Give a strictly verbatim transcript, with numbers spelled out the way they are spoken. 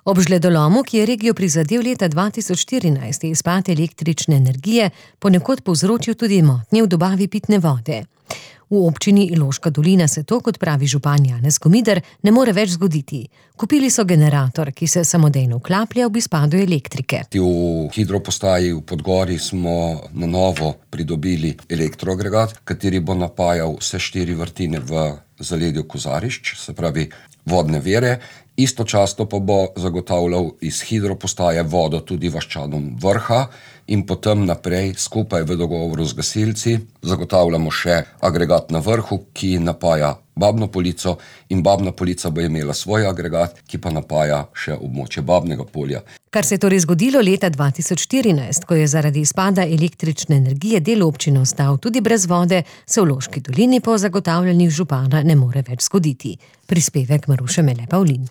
Ob žledolomu, ki je regijo prizadel leta dva tisoč štirinajst, je izpad električne energije ponekod povzročil tudi motnje v dobavi pitne vode. V občini Iloška dolina se to, kot pravi župan Janez Komider, ne more več zgoditi. Kupili so generator, ki se samodejno vklaplja ob izpadu elektrike. V hidropostaji v Podgori smo na novo pridobili elektroagregat, kateri bo napajal vse štiri vrtine v zaledju Kozarišč, se pravi vodne vire. Istočasno pa bo zagotavljal iz hidropostaje vodo tudi vaščanom Vrha in potem naprej skupaj v dogovoru z gasilci zagotavljamo še agregat na Vrhu, ki napaja Babno Polico, in Babna Polica bo imela svoj agregat, ki pa napaja še območje Babnega Polja. Kar se je torej zgodilo leta dva tisoč štirinajst, ko je zaradi izpada električne energije del občine ostal tudi brez vode, se v Loški dolini po zagotavljanjih župana ne more več zgoditi. Prispevek Maruše Mele Pavlin.